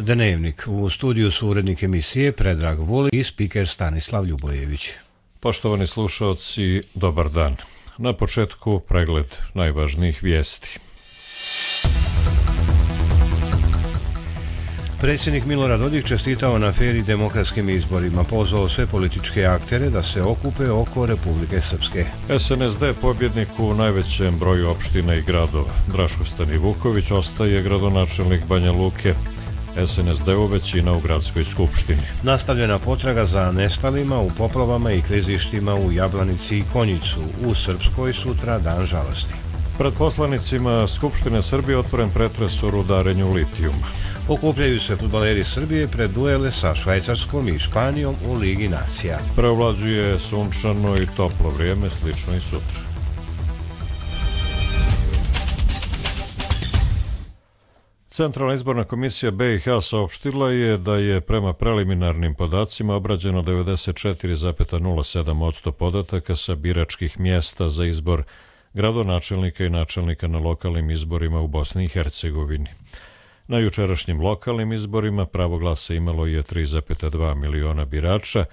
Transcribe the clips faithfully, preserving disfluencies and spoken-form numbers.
Dnevnik. U studiju su urednik emisije Predrag Vuli i spiker Stanislav Ljubojević. Poštovani slušaoci, dobar dan. Na početku pregled najvažnijih vijesti. Predsjednik Milorad Dodik čestitao na fer i demokratskim izborima, pozvao sve političke aktere da se okupe oko Republike Srpske. S N S D pobjednik u najvećem broju opština i gradova. Draško Stanivuković ostaje gradonačelnik Banja Luke. S N S D-u većina u gradskoj skupštini. Nastavljena potraga za nestalima u poplavama i klizištima u Jablanici i Konjicu. U Srpskoj sutra dan žalosti. Pred poslanicima Skupštine Srbije otvoren pretres o rudarenju litijuma. Okupljaju se fudbaleri Srbije pred duele sa Švajcarskom i Španijom u Ligi nacija. Preovlađuje sunčano i toplo vrijeme, slično i sutra. Centralna izborna komisija B i H saopštila je da je prema preliminarnim podacima obrađeno devedeset četiri zarez nula sedam posto podataka sa biračkih mjesta za izbor gradonačelnika i načelnika na lokalnim izborima u Bosni i Hercegovini. Na jučerašnjim lokalnim izborima pravo glasa imalo je tri zarez dva miliona birača,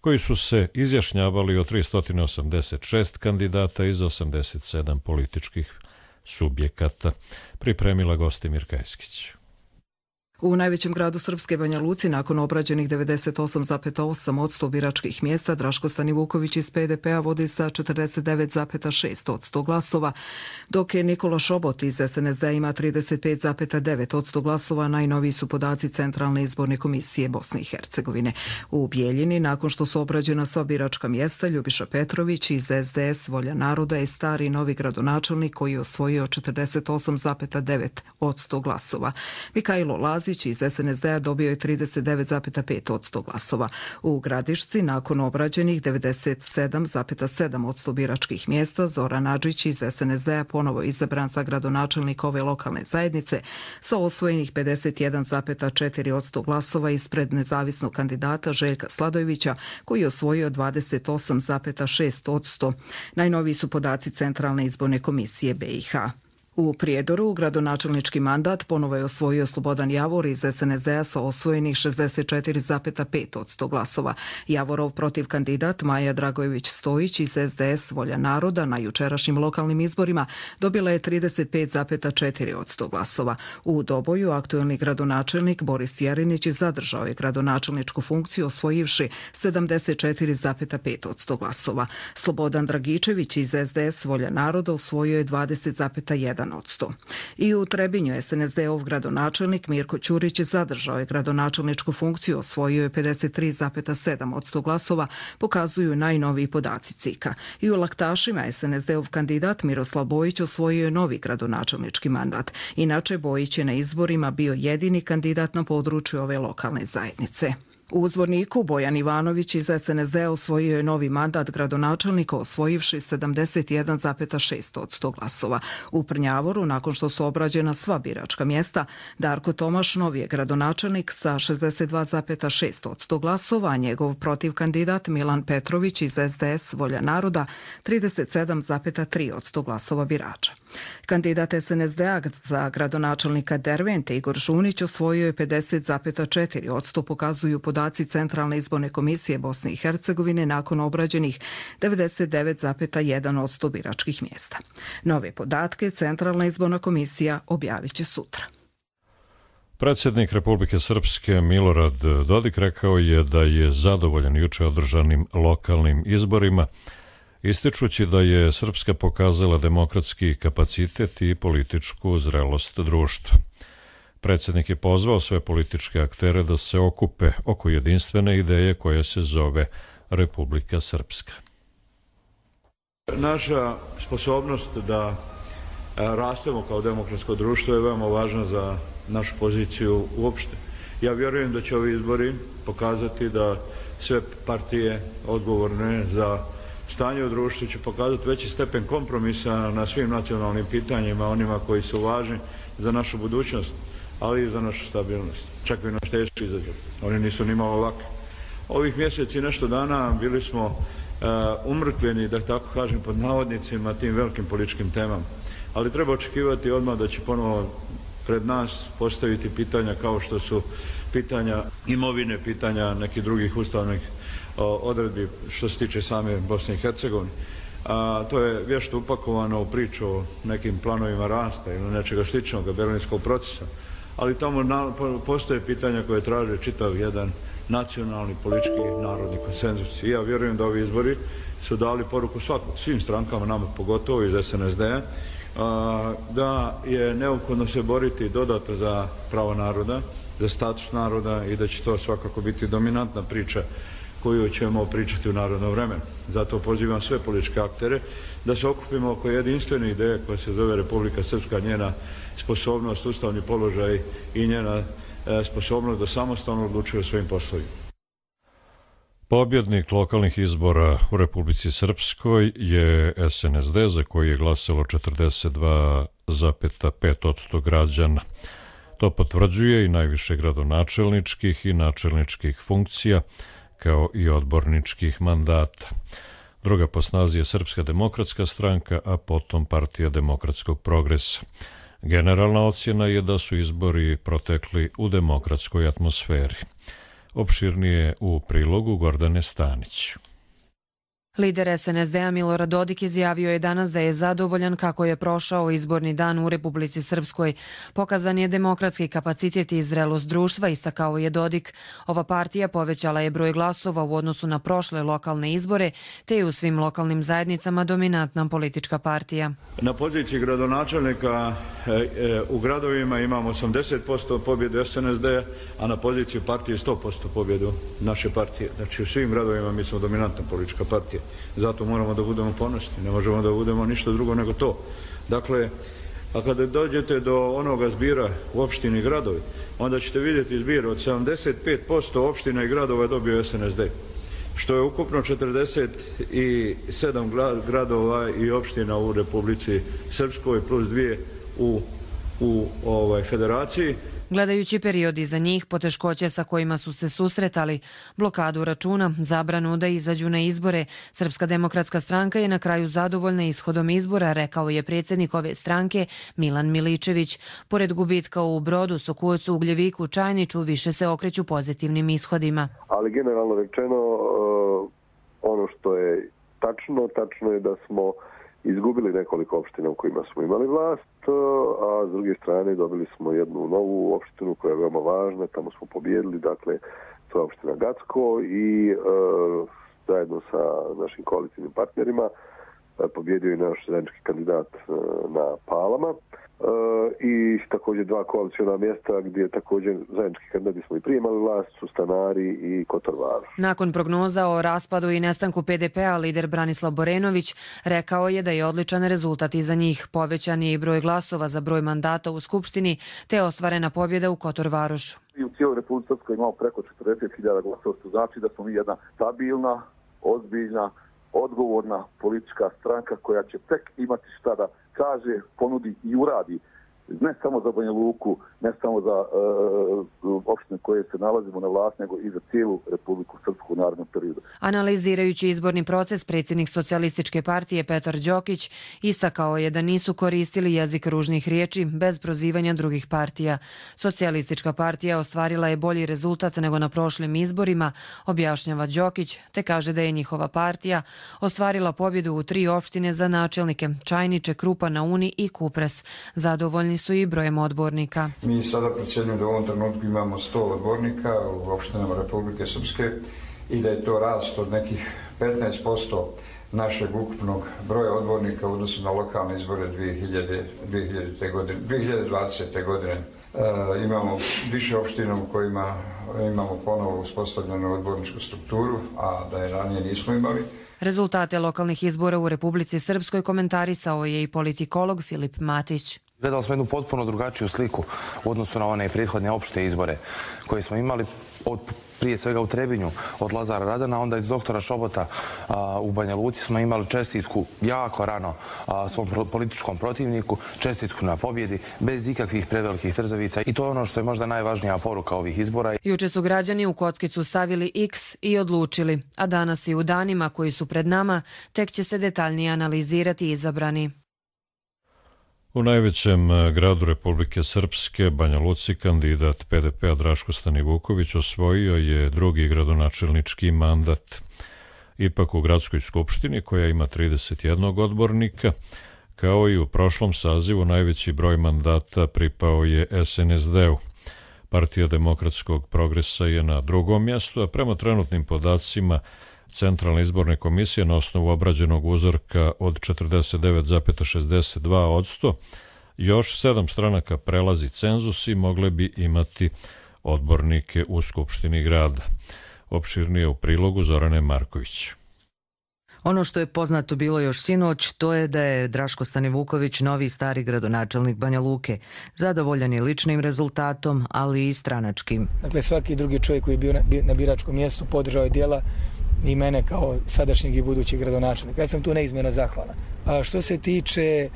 koji su se izjašnjavali od tristo osamdeset šest kandidata iz osamdeset sedam političkih subjekata. Pripremila Gostimir Kajskić. U najvećem gradu Srpske, Banja Luci, nakon obrađenih devedeset osam zarez osam posto biračkih mjesta, Draško Stanivuković iz P D P-a vodi sa četrdeset devet zarez šest posto glasova, dok je Nikola Šobot iz S N S D ima trideset pet zarez devet posto glasova. Najnoviji su podaci Centralne izborne komisije Bosne i Hercegovine. U Bijeljini, nakon što su obrađena sva biračka mjesta, Ljubiša Petrović iz S D S Volja naroda je stari novi gradonačelnik koji je osvojio četrdeset osam zarez devet posto glasova. Mikajlo Lazić iz S N S D-a dobio je trideset devet zarez pet posto glasova. U Gradišci, nakon obrađenih devedeset sedam zarez sedam posto biračkih mjesta, Zoran Adžić iz S N S D-a ponovo izabran za gradonačelnika ove lokalne zajednice sa osvojenih pedeset jedan zarez četiri posto glasova ispred nezavisnog kandidata Željka Sladojevića, koji je osvojio dvadeset osam zarez šest posto. Najnoviji su podaci Centralne izborne komisije B i H. U Prijedoru gradonačelnički mandat ponovo je osvojio Slobodan Javor iz S N S D-a sa osvojenih šezdeset četiri zarez pet posto glasova. Javorov protiv kandidat Maja Dragojević-Stojić iz S D S Volja naroda na jučerašnjim lokalnim izborima dobila je trideset pet zarez četiri posto glasova. U Doboju aktuelni gradonačelnik Boris Jerinić zadržao je gradonačelničku funkciju osvojivši sedamdeset četiri zarez pet posto glasova. Slobodan Dragičević iz S D S Volja naroda osvojio je dvadeset zarez jedan posto. I u Trebinju S N S D-ov gradonačelnik Mirko Ćurić zadržao je gradonačelničku funkciju, osvojio je pedeset tri zarez sedam posto glasova, pokazuju najnoviji podaci C I K-a. I u Laktašima S N S D-ov kandidat Miroslav Bojić osvojio je novi gradonačelnički mandat. Inače, Bojić je na izborima bio jedini kandidat na području ove lokalne zajednice. U Zvorniku Bojan Ivanović iz S N S D-a osvojio je novi mandat gradonačelnika osvojivši sedamdeset jedan zarez šest posto glasova. U Prnjavoru, nakon što su obrađena sva biračka mjesta, Darko Tomaš novi je gradonačelnik sa šezdeset dva zarez šest posto glasova, a njegov protiv kandidat Milan Petrović iz S D S Volja naroda trideset sedam zarez tri posto glasova birača. Kandidat S N S D-a za gradonačelnika Dervente Igor Žunić osvojio je pedeset zarez četiri posto, pokazuju podaci Centralne izborne komisije Bosne i Hercegovine nakon obrađenih devedeset devet zarez jedan posto biračkih mjesta. Nove podatke Centralna izborna komisija objavit će sutra. Predsjednik Republike Srpske Milorad Dodik rekao je da je zadovoljan juče održanim lokalnim izborima, ističući da je Srpska pokazala demokratski kapacitet i političku zrelost društva. Predsjednik je pozvao sve političke aktere da se okupe oko jedinstvene ideje koja se zove Republika Srpska. Naša sposobnost da rastemo kao demokratsko društvo je veoma važna za našu poziciju uopšte. Ja vjerujem da će ovi izbori pokazati da sve partije odgovorne za stanje u društvu će pokazati veći stepen kompromisa na svim nacionalnim pitanjima, onima koji su važni za našu budućnost, ali i za našu stabilnost. Čak i naš teški izazov. Oni nisu ni malo laki. Ovih mjeseci i nešto dana bili smo uh, umrtveni, da tako kažem, pod navodnicima tim velikim političkim temama. Ali treba očekivati odmah da će ponovo pred nas postaviti pitanja kao što su pitanja imovine, pitanja nekih drugih ustavnih odredbi što se tiče same Bosne i Hercegovine. A to je vješto upakovano u priču o nekim planovima rasta ili nečega sličnog berlinskog procesa. Ali tamo na, postoje pitanja koje traže čitav jedan nacionalni, politički, narodni konsenzus. I ja vjerujem da ovi izbori su dali poruku svakom, svim strankama, nama pogotovo iz S N S D-a, da je neophodno se boriti dodatno za pravo naroda, za status naroda i da će to svakako biti dominantna priča koju ćemo pričati u narodno vremenu. Zato pozivam sve političke aktere da se okupimo oko jedinstvene ideje koja se zove Republika Srpska, njena sposobnost, ustavni položaj i njena sposobnost da samostalno odlučuje o svojim poslovima. Pobjednik lokalnih izbora u Republici Srpskoj je S N S D, za koji je glasalo četrdeset dva zarez pet posto građana. To potvrđuje i najviše gradonačelničkih i načelničkih funkcija, kao i odborničkih mandata. Druga po snazi je Srpska demokratska stranka, a potom Partija demokratskog progresa. Generalna ocjena je da su izbori protekli u demokratskoj atmosferi. Opširnije u prilogu Gordane Stanić. Lider S N S D-a Milorad Dodik izjavio je danas da je zadovoljan kako je prošao izborni dan u Republici Srpskoj. Pokazan je demokratski kapacitet i zrelost društva, istakao je Dodik. Ova partija povećala je broj glasova u odnosu na prošle lokalne izbore, te je u svim lokalnim zajednicama dominantna politička partija. Na poziciji gradonačelnika u gradovima imamo osamdeset posto pobjedu S N S D-a, a na poziciji partije sto posto pobjedu naše partije. Znači u svim gradovima mi smo dominantna politička partija. Zato moramo da budemo ponosni, ne možemo da budemo ništa drugo nego to. Dakle, a kada dođete do onoga zbira u opštini i gradovi, onda ćete vidjeti zbir od sedamdeset pet posto opština i gradova je dobio S N S D, što je ukupno četrdeset sedam gradova i opština u Republici Srpskoj plus dvije u, u ovaj, federaciji. Gledajući period iza njih, poteškoće sa kojima su se susretali, blokadu računa, zabranu da izađu na izbore, Srpska demokratska stranka je na kraju zadovoljna ishodom izbora, rekao je predsjednik ove stranke Milan Miličević. Pored gubitka u Brodu, Sokujevcu, Ugljeviku, Čajniću, više se okreću pozitivnim ishodima. Ali generalno rečeno, ono što je tačno, tačno je da smo izgubili nekoliko opština u kojima smo imali vlast, a s druge strane dobili smo jednu novu opštinu koja je veoma važna, tamo smo pobjedili, dakle to je opština Gacko i e, zajedno sa našim koalicijnim partnerima e, pobjedio je naš zajednički kandidat e, na Palama e, i također dva koalicijona mjesta gdje također zajednički kandidat smo i prije imali vlast su Stanari i Kotor Varoš. Nakon prognoza o raspadu i nestanku P D P-a, lider Branislav Borenović rekao je da je odličan rezultat iza njih. Povećan je i broj glasova za broj mandata u Skupštini, te ostvarena pobjeda u Kotor Varošu. I u cijeloj Republici Srpskoj imamo preko četrdeset hiljada glasova, što znači da smo mi jedna stabilna, ozbiljna, odgovorna politička stranka koja će tek imati šta da kaže, ponudi i uradi. Ne samo za Banja Luku, ne samo za uh, opštine koje se nalazimo na vlast, nego i za cijelu Republiku Srpsku u narednom periodu. Analizirajući izborni proces, predsjednik Socijalističke partije Petar Đokić istakao je da nisu koristili jezik ružnih riječi bez prozivanja drugih partija. Socijalistička partija ostvarila je bolji rezultat nego na prošlim izborima, objašnjava Đokić, te kaže da je njihova partija ostvarila pobjedu u tri opštine za načelnike Čajniče, Krupa na Uni i Kupres. Zadovoljni su i brojem odbornika. Mi sada procjenjujemo da u ovom trenutku imamo sto odbornika u opštinama Republike Srpske i da je to rast od nekih petnaest posto našeg ukupnog broja odbornika u odnosu na lokalne izbore dvije hiljade dvadesete godine. E, imamo više opština u kojima imamo ponovo uspostavljenu odborničku strukturu, a da je ranije nismo imali. Rezultate lokalnih izbora u Republici Srpskoj komentarisao je i politikolog Filip Matić. Gledali smo jednu potpuno drugačiju sliku u odnosu na one prethodne opšte izbore koje smo imali od, prije svega u Trebinju od Lazara Radana, onda iz doktora Šobota a, u Banja Luci smo imali čestitku jako rano a, svom političkom protivniku, čestitku na pobjedi, bez ikakvih prevelikih trzavica i to je ono što je možda najvažnija poruka ovih izbora. Juče su građani u kockicu stavili X i odlučili, a danas i u danima koji su pred nama tek će se detaljnije analizirati izabrani. U najvećem gradu Republike Srpske, Banja Luci, kandidat P D P-a Draško Stanivuković osvojio je drugi gradonačelnički mandat. Ipak u gradskoj skupštini, koja ima trideset jedan odbornika, kao i u prošlom sazivu, najveći broj mandata pripao je S N S D-u. Partija demokratskog progresa je na drugom mjestu, a prema trenutnim podacima Centralne izborne komisije na osnovu obrađenog uzorka od četrdeset devet zarez šezdeset dva posto još sedam stranaka prelazi cenzus i mogle bi imati odbornike u Skupštini grada. Opširnije u prilogu Zorane Marković. Ono što je poznato bilo još sinoć, to je da je Draško Stanivuković novi stari gradonačelnik Banja Luke. Zadovoljan je ličnim rezultatom, ali i stranačkim. Dakle, svaki drugi čovjek koji je bio na biračkom mjestu podržao je djela i mene kao sadašnjeg i budućeg gradonačelnika. Ja sam tu neizmjerno zahvalan. A što se tiče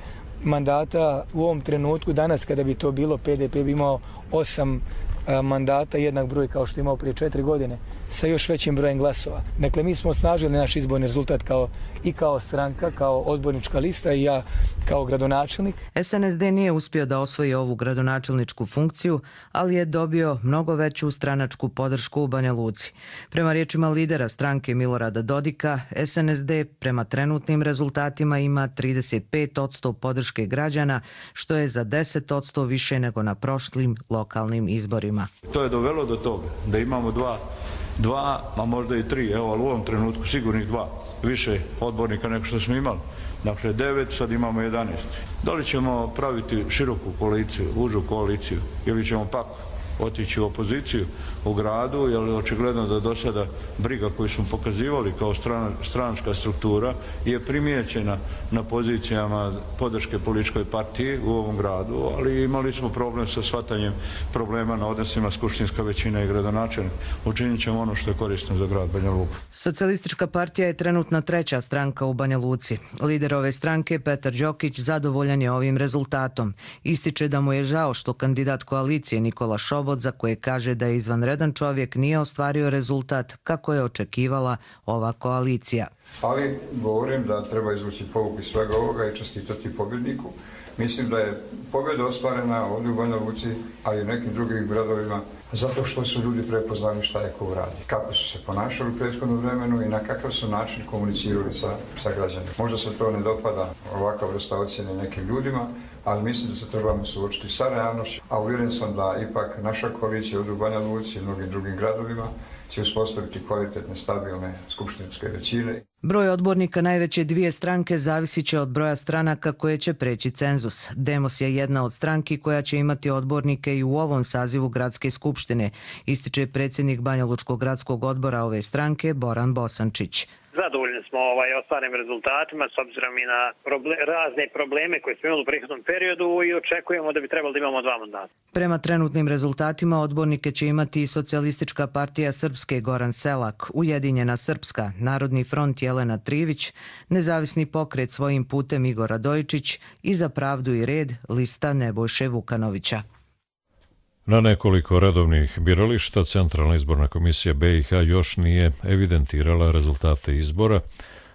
mandata u ovom trenutku, danas kada bi to bilo, P D P bi imao osam mandata, jednak broj kao što je imao prije četiri godine, sa još većim brojem glasova. Dakle, mi smo osnažili naš izborni rezultat kao, i kao stranka, kao odbornička lista i ja kao gradonačelnik. S N S D nije uspio da osvoji ovu gradonačelničku funkciju, ali je dobio mnogo veću stranačku podršku u Banja Luci. Prema riječima lidera stranke Milorada Dodika, S N S D prema trenutnim rezultatima ima trideset pet posto podrške građana, što je za deset posto više nego na prošlim lokalnim izborima. To je dovelo do toga da imamo dva, dva, a možda i tri, evo, ali u ovom trenutku sigurnih dva, više odbornika nego što smo imali. Dakle, devet, sad imamo jedanaest. Da li ćemo praviti široku koaliciju, užu koaliciju, ili ćemo pak otići u opoziciju u gradu, jer je očigledno da do sada briga koju smo pokazivali kao strana, stranačka struktura je primijećena na pozicijama podrške političkoj partiji u ovom gradu, ali imali smo problem sa shvatanjem problema na odnosima skupštinska većina i gradonačelnik. Učinit ćemo ono što je korisno za grad Banja Luku. Socijalistička partija je trenutna treća stranka u Banja Luci. Lider ove stranke, Petar Đokić, zadovoljan je ovim rezultatom. Ističe da mu je žao što kandidat koalicije Nikola Šobot, za koje kaže da je izvanredan čovjek, nije ostvario rezultat kako je očekivala ova koalicija. Ali govorim da treba izvući pouku iz svega ovoga i čestitati pobjedniku. Mislim da je pobjeda ostvarena ovdje u Banja Luci, a i u nekim drugim gradovima, zato što su ljudi prepoznali šta je ko radi, kako su se ponašali u prethodnom vremenu i na kakav su način komunicirali sa, sa građanima. Možda se to ne dopada ovakva vrsta ocjene nekim ljudima, ali mislim da se trebamo suočiti sa realnošću, a uvjeren sam da ipak naša koalicija ovdje u Banja Luci i mnogim drugim gradovima će uspostaviti kvalitetne, stabilne skupštinske većine. Broj odbornika najveće dvije stranke zavisit će od broja stranaka koje će preći cenzus. Demos je jedna od stranki koja će imati odbornike i u ovom sazivu gradske skupštine, ističe predsjednik Banja Lučkog gradskog odbora ove stranke Boran Bosančić. Zadovoljni smo ovaj ostvarenim rezultatima s obzirom i na proble razne probleme koje smo imali u prethodnom periodu i očekujemo da bi trebalo da imamo dva mandata. Prema trenutnim rezultatima odbornike će imati i Socijalistička partija Srpske Goran Selak, Ujedinjena Srpska, Narodni front Jelena Trivić, Nezavisni pokret Svojim putem Igor Radojičić i Za pravdu i red lista Nebojše Vukanovića. Na nekoliko redovnih birališta Centralna izborna komisija B i H još nije evidentirala rezultate izbora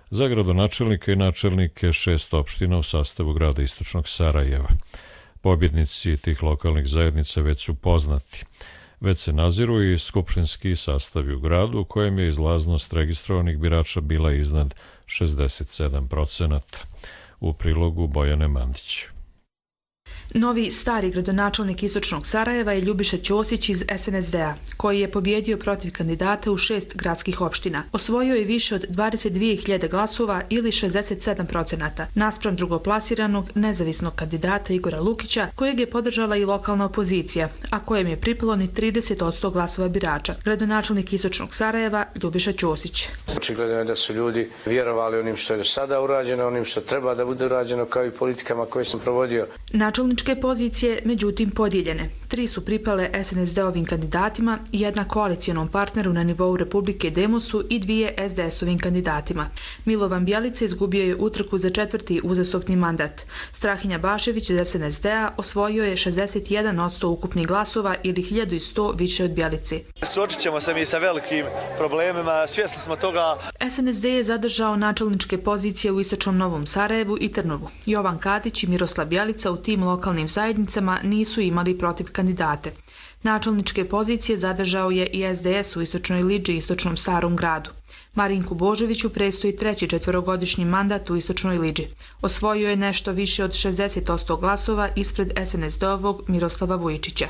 za gradonačelnika i načelnike šest opština u sastavu grada Istočnog Sarajeva. Pobjednici tih lokalnih zajednica već su poznati. Već se naziru i skupštinski sastavi u gradu u kojem je izlaznost registrovanih birača bila iznad šezdeset sedam procenata. U prilogu Bojane Mandić. Novi stari gradonačelnik Istočnog Sarajeva je Ljubiša Ćosić iz S N S D-a, koji je pobjedio protiv kandidata u šest gradskih opština. Osvojio je više od dvadeset dvije hiljade glasova ili šezdeset sedam procenata, naspram drugoplasiranog nezavisnog kandidata Igora Lukića, kojeg je podržala i lokalna opozicija, a kojem je pripalo ni trideset posto glasova birača. Gradonačelnik Istočnog Sarajeva Ljubiša Ćosić. Očigledno je da su ljudi vjerovali onim što je do sada urađeno, onim što treba da bude urađeno, kao i politikama koje sam provodio. Načelničke pozicije, međutim, podijeljene. Tri su pripale S N S D-ovim kandidatima, jedna koalicijonom partneru na nivou Republike Demosu i dvije S D S-ovim kandidatima. Milovan Bjelica izgubio je utrku za četvrti uzastopni mandat. Strahinja Bašević iz S N S D-a osvojio je šezdeset jedan posto ukupnih glasova ili hiljadu sto više od Bjelici. Suočit ćemo se mi sa velikim problemima, svjesni smo toga, toga. S N S D je zadržao načelničke pozicije u Istočnom Novom Sarajevu i Trnovu. Jovan Katić i Miroslav Bjelica u tim lokalnim zajednicama nisu imali protiv kandidate. Načelničke pozicije zadržao je i S D S u Istočnoj Liđi i Istočnom Starom gradu. Marinku Božoviću predstoji treći četvorogodišnji mandat u Istočnoj Liđi. Osvojio je nešto više od šezdeset posto glasova ispred S N S D-ovog Miroslava Vujičića.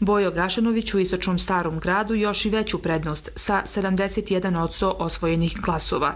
Bojo Gašanović u Istočnom Starom gradu još i veću prednost sa sedamdeset jedan posto osvojenih glasova.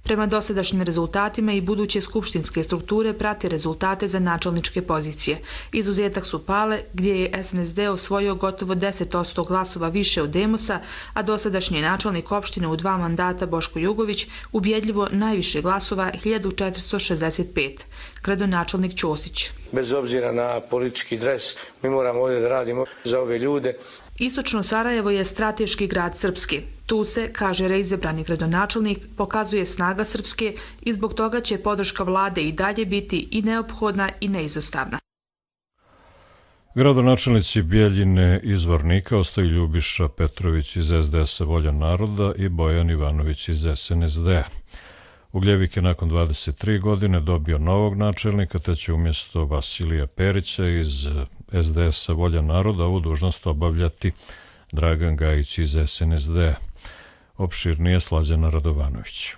Prema dosadašnjim rezultatima i buduće skupštinske strukture prate rezultate za načelničke pozicije. Izuzetak su Pale, gdje je S N S D osvojio gotovo deset posto glasova više od Demosa, a dosadašnji načelnik opštine u dva mandata Boško Jugović ubjedljivo najviše glasova hiljadu četiristo šezdeset pet. Gradonačelnik Ćosić. Bez obzira na politički dres, mi moramo ovdje da radimo za ove ljude. Istočno Sarajevo je strateški grad Srpske. Tu se, kaže reizabrani gradonačelnik, pokazuje snaga Srpske i zbog toga će podrška vlade i dalje biti i neophodna i neizostavna. Gradonačelnici Bijeljine i Zvornika ostaju Ljubiša Petrović iz S D S-a Volja naroda i Bojan Ivanović iz S N S D-a. Ugljevik je nakon dvadeset tri godine dobio novog načelnika, te će umjesto Vasilija Perića iz S D S-a Volja naroda ovu dužnost obavljati Dragan Gajić iz S N S D-a. Opširnije Slađana Radovanović.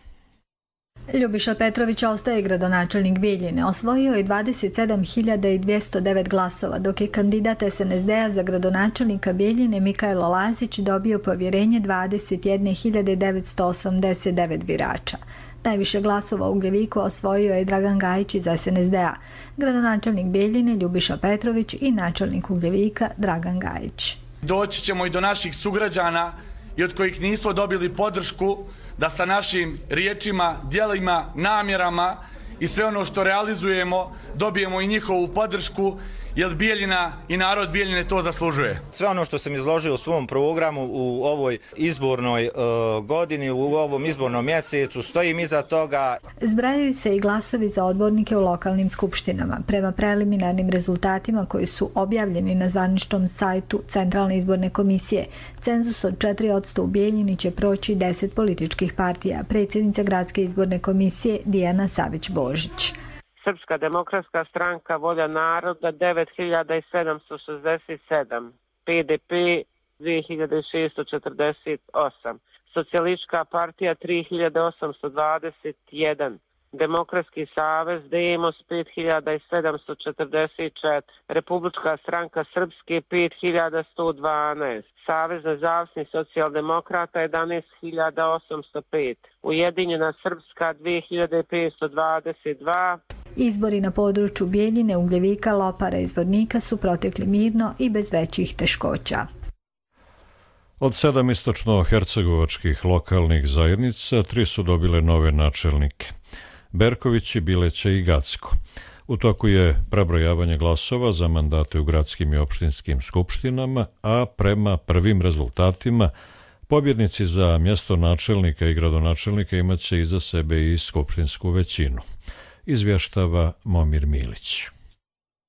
Ljubiša Petrović ostaje gradonačelnik Bijeljine. Osvojio je dvadeset sedam hiljada dvjesto devet glasova, dok je kandidat S N S D-a za gradonačelnika Bijeljine Mikailo Lazić dobio povjerenje dvadeset jedne hiljade devetsto osamdeset devet birača. Najviše glasova u Ugljeviku osvojio je Dragan Gajić iz S N S D-a, gradonačelnik Bijeljine Ljubiša Petrović i načelnik Ugljevika Dragan Gajić. Doći ćemo i do naših sugrađana i od kojih nismo dobili podršku da sa našim riječima, djelima, namjerama i sve ono što realizujemo dobijemo i njihovu podršku, jer Bijeljina i narod Bijeljine to zaslužuje. Sve ono što sam izložio u svom programu u ovoj izbornoj uh, godini, u ovom izbornom mjesecu, stojim iza toga. Zbrajaju se i glasovi za odbornike u lokalnim skupštinama. Prema preliminarnim rezultatima koji su objavljeni na zvaničnom sajtu Centralne izborne komisije, cenzus od četiri posto u Bijeljini će proći deset političkih partija. Predsjednica Gradske izborne komisije Dijana Savić-Božić. Srpska demokratska stranka Volja naroda devet hiljada sedamsto šezdeset sedam, P D P dvije hiljade šesto četrdeset osam, Socijalistička partija tri hiljade osamsto dvadeset jedan, Demokratski savez Demos pet hiljada sedamsto četrdeset četiri, Republička stranka Srpske pet hiljada sto dvanaest, Savez nezavisnih socijaldemokrata jedanaest hiljada osamsto pet, Ujedinjena Srpska dvije hiljade petsto dvadeset dva. Izbori na području Bijeljine, Ugljevika, Lopara i Zvornika su protekli mirno i bez većih teškoća. Od sedam istočno-hercegovačkih lokalnih zajednica, tri su dobile nove načelnike. Berković, Bileća i Gacko. U toku je prebrojavanje glasova za mandate u gradskim i opštinskim skupštinama, a prema prvim rezultatima pobjednici za mjesto načelnika i gradonačelnika imaće iza sebe i skupštinsku većinu. Izvještava Momir Milić.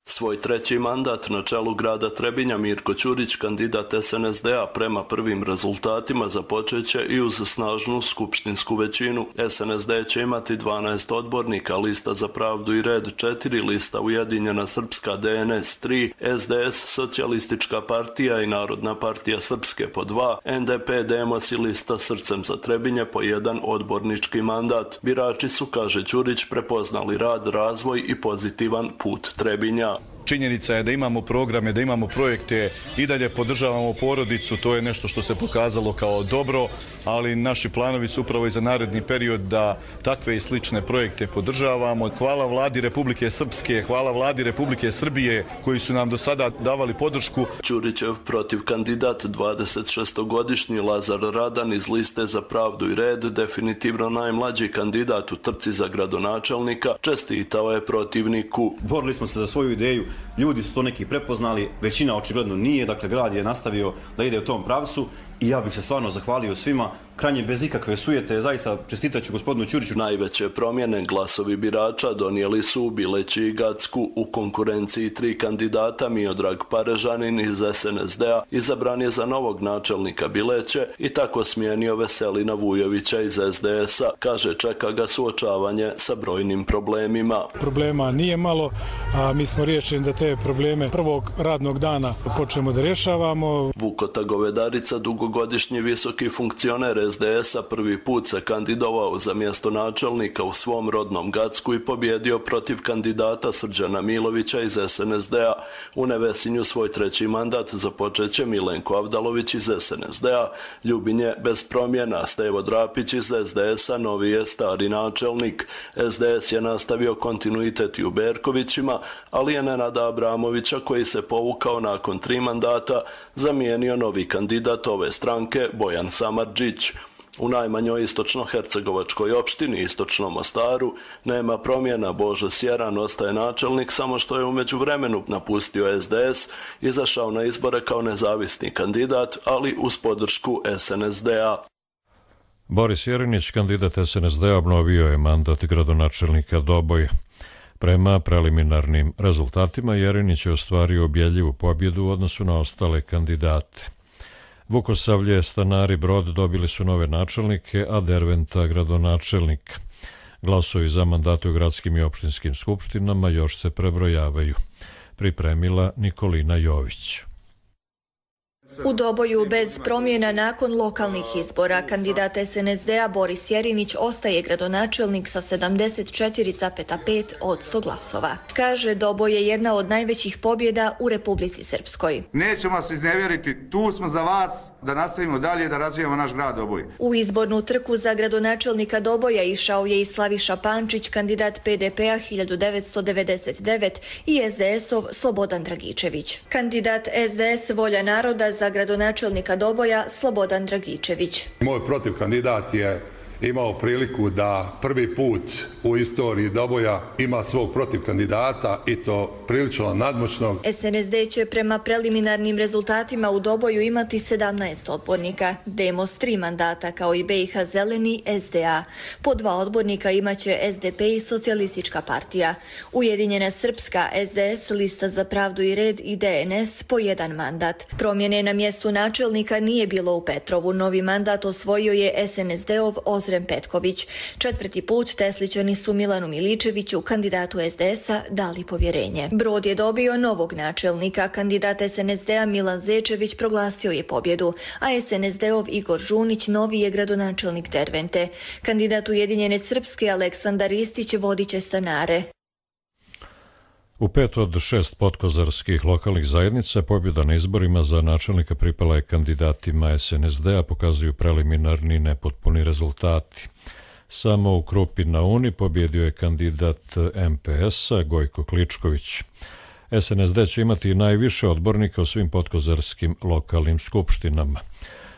Svoj treći mandat na čelu grada Trebinja Mirko Ćurić, kandidat S N S D-a, prema prvim rezultatima započeće i uz snažnu skupštinsku većinu. S N S D će imati dvanaest odbornika, Lista za pravdu i red četiri, Lista Ujedinjena Srpska D N S tri, S D S Socijalistička partija i Narodna partija Srpske po dva, N D P Demos i Lista Srcem za Trebinje po jedan odbornički mandat. Birači su, kaže Ćurić, prepoznali rad, razvoj i pozitivan put Trebinja. Činjenica je da imamo programe, da imamo projekte, i dalje podržavamo porodicu, to je nešto što se pokazalo kao dobro, ali naši planovi su upravo i za naredni period da takve i slične projekte podržavamo. Hvala vladi Republike Srpske, hvala vladi Republike Srbije koji su nam do sada davali podršku. Ćurićev protiv kandidat dvadesetšestogodišnji Lazar Radan iz Liste za pravdu i red, definitivno najmlađi kandidat u trci za gradonačelnika, čestitao je protivniku. Borili smo se za svoju ideju. Ljudi su to neki prepoznali, većina očigledno nije, dakle grad je nastavio da ide u tom pravcu i ja bih se stvarno zahvalio svima, krajnje bez ikakve sujete, zaista čestitaću gospodinu Ćuriću. Najveće promjene glasovi birača donijeli su u Bileći i Gacku. U konkurenciji tri kandidata Miodrag Parežanin iz es en es de a izabran je za novog načelnika Bileće i tako smijenio Veselina Vujovića iz es de es a. Kaže, čeka ga suočavanje sa brojnim problemima. Problema nije malo, a mi smo riješeni da te probleme prvog radnog dana počnemo da rješavamo. Vukota Govedarica, dugogodišnji visoki funkcioner es de es a, prvi put se kandidovao za mjesto načelnika u svom rodnom Gacku i pobjedio protiv kandidata Srđana Milovića iz es en es de a. U Nevesinju svoj treći mandat započet će Milenko Avdalović iz es en es de a. Ljubinje bez promjena, Stevo Drapić iz es de es a novi je stari načelnik. es de es je nastavio kontinuitet i u Berkovićima, ali je Nenada Abramovića, koji se povukao nakon tri mandata, zamijenio novi kandidat ove stranke Bojan Samardžić. U najmanjoj istočno-hercegovačkoj opštini, Istočnom Mostaru, nema promjena. Božo Sjeran ostaje načelnik, samo što je u međuvremenu napustio es de es, izašao na izbore kao nezavisni kandidat, ali uz podršku es en es de a. Boris Jerinić, kandidat es en es de a, obnovio je mandat gradonačelnika Doboja. Prema preliminarnim rezultatima, Jerinić je ostvario ubjedljivu pobjedu u odnosu na ostale kandidate. Vukosavlje, Stanari, Brod dobili su nove načelnike, a Derventa gradonačelnika. Glasovi za mandate u gradskim i opštinskim skupštinama još se prebrojavaju. Pripremila Nikolina Jović. U Doboju bez promjena nakon lokalnih izbora kandidat es en es de a Boris Jerinić ostaje gradonačelnik sa sedamdeset četiri zarez pet posto glasova. Kaže, Doboj je jedna od najvećih pobjeda u Republici Srpskoj. Nećemo se iznevjeriti, tu smo za vas da nastavimo dalje da razvijamo naš grad Doboj. U izbornu trku za gradonačelnika Doboja išao je i Slaviša Pančić, kandidat pe de pe a hiljadu devetsto devedeset devet i es de es ov Slobodan Dragičević. Kandidat es de es Volja naroda za gradonačelnika Doboja Slobodan Dragičević. Moj protiv kandidat je imao priliku da prvi put u istoriji Doboja ima svog protiv kandidata i to prilično nadmoćnog. es en es de će prema preliminarnim rezultatima u Doboju imati sedamnaest odbornika, Demos tri mandata kao i be i ha Zeleni es de a. Po dva odbornika imaće es de pe i Socijalistička partija. Ujedinjena Srpska, es de es, Lista za pravdu i red i de en es po jedan mandat. Promjene na mjestu načelnika nije bilo u Petrovu. Novi mandat osvojio je es en es de ov Ozrem Petković. Četvrti put Teslićani su Milanu Miličeviću, kandidatu es de es a, dali povjerenje. Brod je dobio novog načelnika. Kandidat es en es de a Milan Zečević proglasio je pobjedu, a es en es de ov Igor Žunić novi je gradonačelnik Dervente. Kandidat Ujedinjene Srpske Aleksandar Istić vodit će Stanare. U pet od šest podkozarskih lokalnih zajednica pobjeda na izborima za načelnika pripala je kandidatima es en es de a, pokazuju preliminarni nepotpuni rezultati. Samo u Krupi na Uni pobjedio je kandidat em pe es a Gojko Kličković. es en es de će imati najviše odbornika u svim podkozarskim lokalnim skupštinama.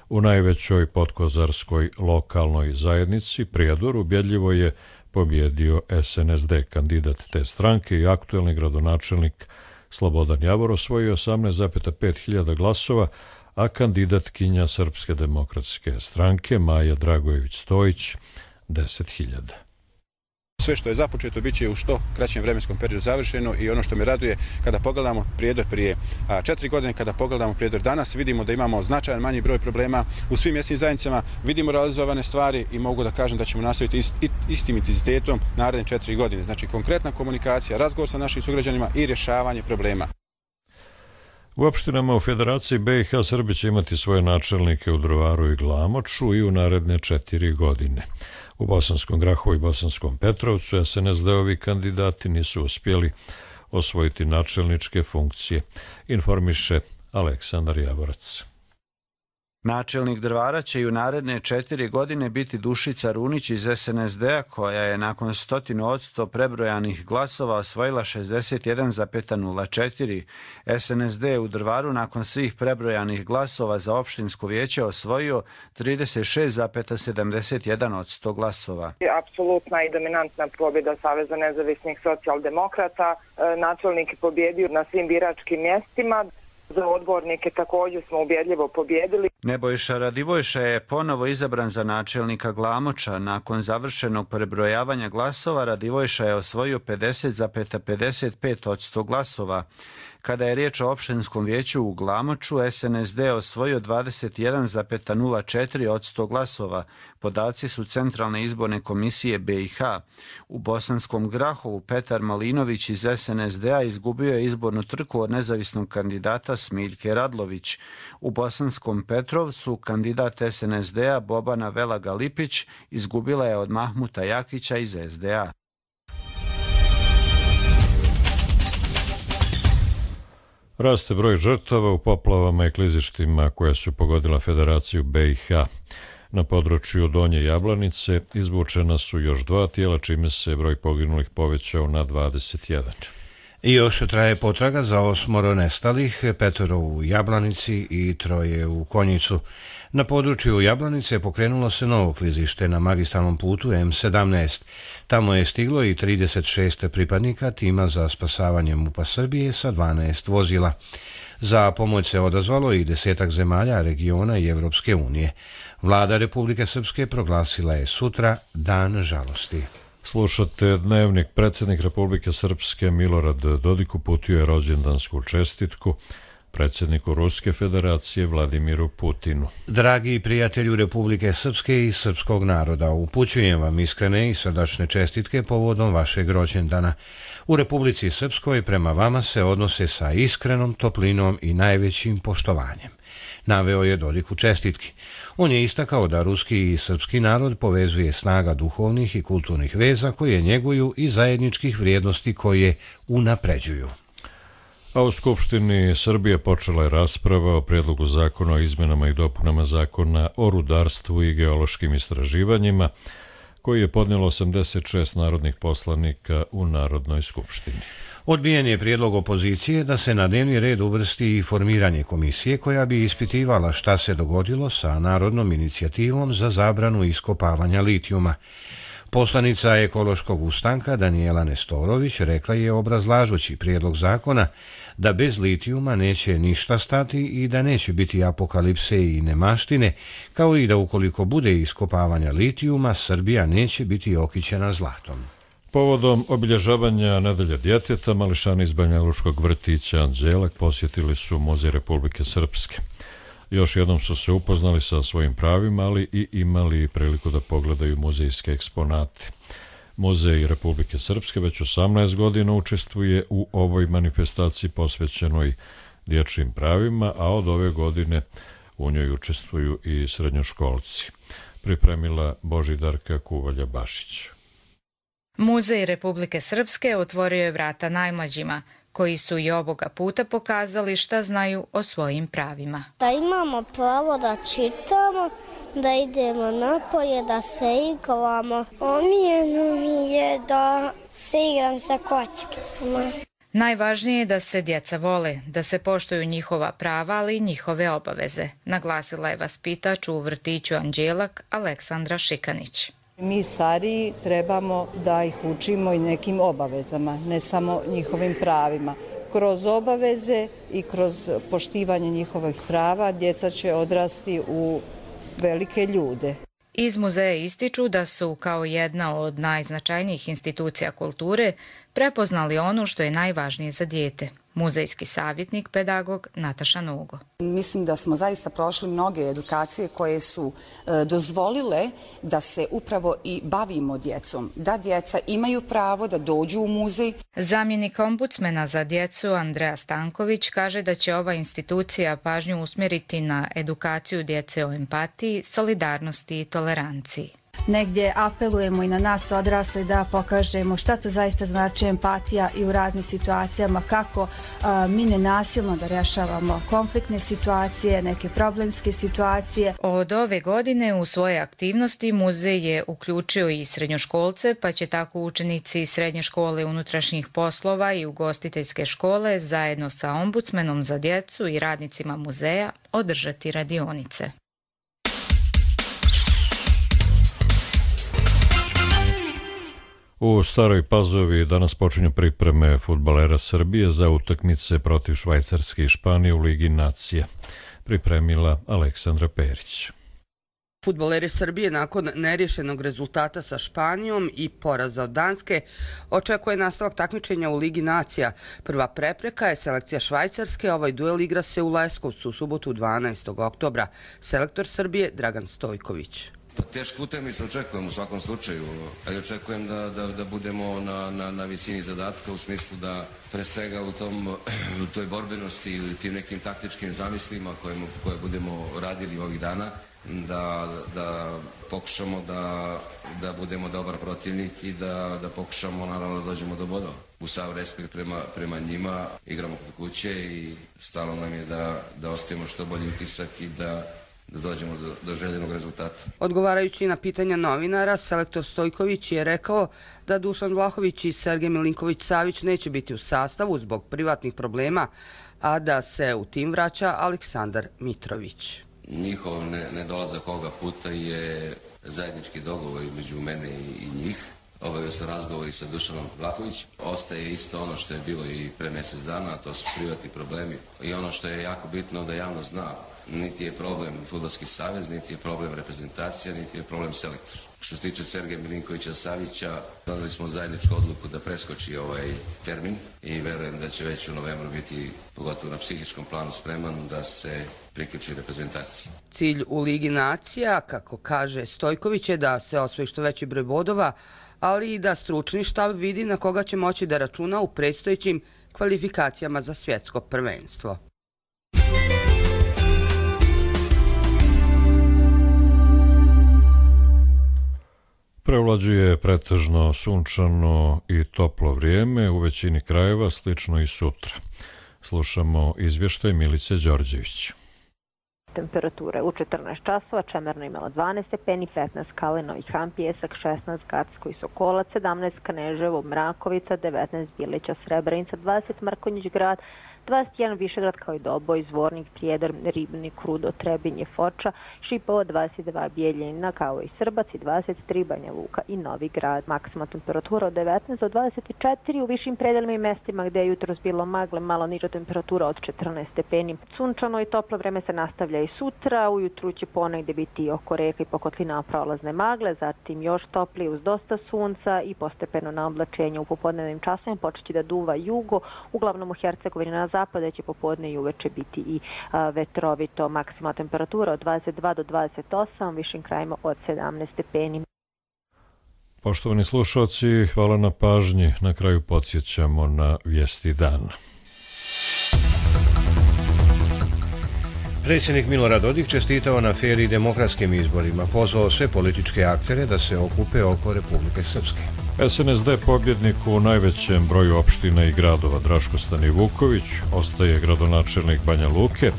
U najvećoj podkozarskoj lokalnoj zajednici, Prijedor, ubjedljivo je pobjedio es en es de. Kandidat te stranke i aktuelni gradonačelnik Slobodan Javor osvojio osamnaest zarez pet hiljada glasova, a kandidatkinja Srpske demokratske stranke Maja Dragojević-Stojić deset hiljada. Sve što je započeto bit će u što kraćem vremenskom periodu završeno i ono što me raduje kada pogledamo Prijedor prije a, četiri godine, kada pogledamo Prijedor danas, vidimo da imamo značajan manji broj problema u svim mjesnim zajednicama, vidimo realizovane stvari i mogu da kažem da ćemo nastaviti ist, istim intenzitetom naredne četiri godine. Znači konkretna komunikacija, razgovor sa našim sugrađanima i rješavanje problema. U opštinama u Federaciji be i ha Srbi će imati svoje načelnike u Drvaru i Glamoču i u naredne četiri godine. U Bosanskom Grahovu i Bosanskom Petrovcu es en es de ovi kandidati nisu uspjeli osvojiti načelničke funkcije, informiše Aleksandar Javorac. Načelnik Drvara će i u naredne četiri godine biti Dušica Runić iz es en es de a, koja je nakon stotinu odsto prebrojanih glasova osvojila šezdeset jedan zarez nula četiri. es en es de u Drvaru nakon svih prebrojanih glasova za opštinsko vijeće osvojio trideset šest zarez sedamdeset jedan odsto glasova. Apsolutna i dominantna pobjeda Saveza nezavisnih socijaldemokrata. Načelnik je pobjedio na svim biračkim mjestima. Za odbornike također smo ubjedljivo pobjedili. Nebojša Radivojša je ponovo izabran za načelnika Glamoča. Nakon završenog prebrojavanja glasova Radivojša je osvojio pedeset zarez pedeset pet posto glasova. Kada je riječ o opštinskom vijeću u Glamoču, S N S D je osvojio dvadeset jedan zarez nula četiri posto glasova. Podaci su Centralne izborne komisije B i H. U Bosanskom Grahovu Petar Malinović iz S N S D-a izgubio je izbornu trku od nezavisnog kandidata Smiljke Radlović. U Bosanskom Petrovcu kandidat S N S D-a Bobana Velaga Lipić izgubila je od Mahmuta Jakića iz S D A. Raste broj žrtava u poplavama i klizištima koja su pogodila Federaciju B i H. Na području Donje Jablanice izvučena su još dva tijela, čime se broj poginulih povećao na dvadeset jedan. I još traje potraga za osmoro nestalih, petoro u Jablanici i troje u Konjicu. Na području Jablanice pokrenulo se novo klizište na magistralnom putu M sedamnaest. Tamo je stiglo i trideset šest pripadnika tima za spasavanje MUP-a Srbije sa dvanaest vozila. Za pomoć se odazvalo i desetak zemalja, regiona i Evropske unije. Vlada Republike Srpske proglasila je sutra Dan žalosti. Slušate Dnevnik. Predsjednik Republike Srpske Milorad Dodik uputio je rođendansku čestitku predsjedniku Ruske federacije Vladimiru Putinu. Dragi prijatelju Republike Srpske i srpskog naroda, upućujem vam iskrene i srdačne čestitke povodom vašeg rođendana. U Republici Srpskoj prema vama se odnose sa iskrenom toplinom i najvećim poštovanjem, naveo je Dodik u čestitki. On je istakao da ruski i srpski narod povezuje snaga duhovnih i kulturnih veza koje njeguju i zajedničkih vrijednosti koje unapređuju. A u Skupštini Srbije počela je rasprava o prijedlogu zakona o izmenama i dopunama zakona o rudarstvu i geološkim istraživanjima, koji je podnijelo osamdeset šest narodnih poslanika u Narodnoj skupštini. Odbijen je prijedlog opozicije da se na dnevni red uvrsti i formiranje komisije koja bi ispitivala šta se dogodilo sa narodnom inicijativom za zabranu iskopavanja litijuma. Poslanica Ekološkog ustanka Danijela Nestorović rekla je obrazlažući prijedlog zakona da bez litijuma neće ništa stati i da neće biti apokalipse i nemaštine, kao i da ukoliko bude iskopavanja litijuma, Srbija neće biti okićena zlatom. Povodom obilježavanja Nedelje djeteta, mališani iz Banjalučkog vrtića Anđelak posjetili su Muzej Republike Srpske. Još jednom su se upoznali sa svojim pravima, ali i imali priliku da pogledaju muzejske eksponate. Muzej Republike Srpske već osamnaest godina učestvuje u ovoj manifestaciji posvećenoj dječjim pravima, a od ove godine u njoj učestvuju i srednjoškolci. Pripremila Božidarka Kuvalja-Bašić. Muzej Republike Srpske otvorio je vrata najmlađima, koji su i ovoga puta pokazali šta znaju o svojim pravima. Da imamo pravo da čitamo, da idemo napolje, da se igramo. Omiljeno mi je da se igram sa kockicama. Najvažnije je da se djeca vole, da se poštuju njihova prava, ali i njihove obaveze, naglasila je vaspitač u vrtiću Anđelak Aleksandra Šikanić. Mi stariji trebamo da ih učimo i nekim obavezama, ne samo njihovim pravima. Kroz obaveze i kroz poštivanje njihovih prava djeca će odrasti u velike ljude. Iz muzeja ističu da su kao jedna od najznačajnijih institucija kulture prepoznali ono što je najvažnije za dijete. Muzejski savjetnik, pedagog Nataša Nogo. Mislim da smo zaista prošli mnoge edukacije koje su e, dozvolile da se upravo i bavimo djecom, da djeca imaju pravo da dođu u muzej. Zamjenik ombudsmena za djecu Andreja Stanković kaže da će ova institucija pažnju usmjeriti na edukaciju djece o empatiji, solidarnosti i toleranciji. Negdje apelujemo i na nas odrasle da pokažemo šta to zaista znači empatija i u raznim situacijama, kako a, mi nenasilno da rješavamo konfliktne situacije, neke problemske situacije. Od ove godine u svoje aktivnosti muzej je uključio i srednjoškolce, pa će tako učenici srednje škole unutrašnjih poslova i ugostiteljske škole zajedno sa ombudsmenom za djecu i radnicima muzeja održati radionice. U Staroj Pazovi danas počinju pripreme fudbalera Srbije za utakmice protiv Švajcarske i Španije u Ligi nacija. Pripremila Aleksandra Perić. Fudbaleri Srbije nakon neriješenog rezultata sa Španijom i poraza od Danske očekuje nastavak takmičenja u Ligi nacija. Prva prepreka je selekcija Švajcarske, ovaj duel igra se u Leskovcu u subotu dvanaestog oktobra. Selektor Srbije Dragan Stojković. Tešku utakmicu očekujem u svakom slučaju, ali očekujem da, da, da budemo na, na, na visini zadatka u smislu da pre svega u, tom, u toj borbenosti ili tim nekim taktičkim zamislima koje, koje budemo radili ovih dana, da, da pokušamo da, da budemo dobar protivnik i da, da pokušamo naravno da dođemo do bodova. U sav respekt prema, prema njima, igramo kod kuće i stalo nam je da, da ostavimo što bolji utisak i da da dođemo do, do željenog rezultata. Odgovarajući na pitanja novinara, selektor Stojković je rekao da Dušan Vlahović i Sergej Milinković-Savić neće biti u sastavu zbog privatnih problema, a da se u tim vraća Aleksandar Mitrović. Njihov nedolazak ovoga puta je zajednički dogovor između mene i njih. Obavio sam razgovor i sa Dušanom Vlahović. Ostaje isto ono što je bilo i pre mjesec dana, to su privatni problemi. I ono što je jako bitno da javnost zna, niti je problem Fudbalski savez, niti je problem reprezentacija, niti je problem selektor. Što se tiče Sergeja Milinkovića-Savića, doneli smo zajedničku odluku da preskoči ovaj termin i verujem da će već u novembru biti, pogotovo na psihičkom planu, spreman da se priključi reprezentaciji. Cilj u Ligi nacija, kako kaže Stojković, je da se osvoji što veći broj bodova, ali i da stručni štab vidi na koga će moći da računa u predstojećim kvalifikacijama za svjetsko prvenstvo. Prevlađuje pretežno sunčano i toplo vrijeme, u većini krajeva slično i sutra. Slušamo izvještaj Milice Đorđević. Temperature u četrnaest časova, Čemerno imala dvanaest stepeni, petnaest Kalinović, Han, Pjesak, šesnaest Gacko i Sokolac, sedamnaest Kneževo, Mrakovica, devetnaest Bilića, Srebrenica, dvadeset Mrkonjić Grad, dvadeset jedan Višegrad kao i Doboj, Zvornik, Prijedor, Ribnik, Rudo, Trebinje, Foča, Šipovo, dvadeset dva Bijeljina kao i Srbac i dvadeset tri Banja Luka i Novi Grad. Maksimalna temperatura od devetnaest do dvadeset četiri u višim predelima i mestima gdje je jutros bilo magle, malo niža temperatura od četrnaest stepeni. Sunčano i toplo vreme se nastavlja i sutra, ujutru će ponegdje biti oko reka i pokotlina prolazne magle, zatim još toplije uz dosta sunca i postepeno na oblačenju. U popodnevnim časovima počeće da duva jugo, uglavnom u Hercegovini na zapada će popodne i uveče biti i a, vetrovito. Maksimalna temperatura od dvadeset dva do dvadeset osam, višim krajima od sedamnaest stepeni. Poštovani slušalci, hvala na pažnji. Na kraju podsjećamo na vijesti dana. Predsjednik Milorad Dodik čestitao na fer i demokratskim izborima, pozvao sve političke aktere da se okupe oko Republike Srpske. S N S D pobjednik u najvećem broju opština i gradova. Draško Stanivuković ostaje gradonačelnik Banja Luke,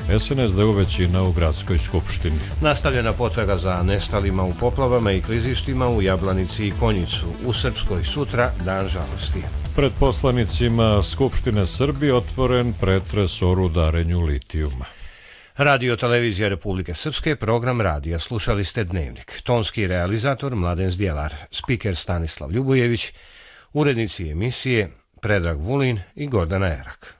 S N S D u većina u gradskoj skupštini. Nastavljena potraga za nestalima u poplavama i klizištima u Jablanici i Konjicu. U Srpskoj sutra dan žalosti. Pred poslanicima Skupštine Srbije otvoren pretres o rudarenju litijuma. Radio Televizija Republike Srpske, program radija. Slušali ste Dnevnik. Tonski realizator Mladen Zdjelar, spiker Stanislav Ljubojević, urednici emisije Predrag Vulin i Gordana Erak.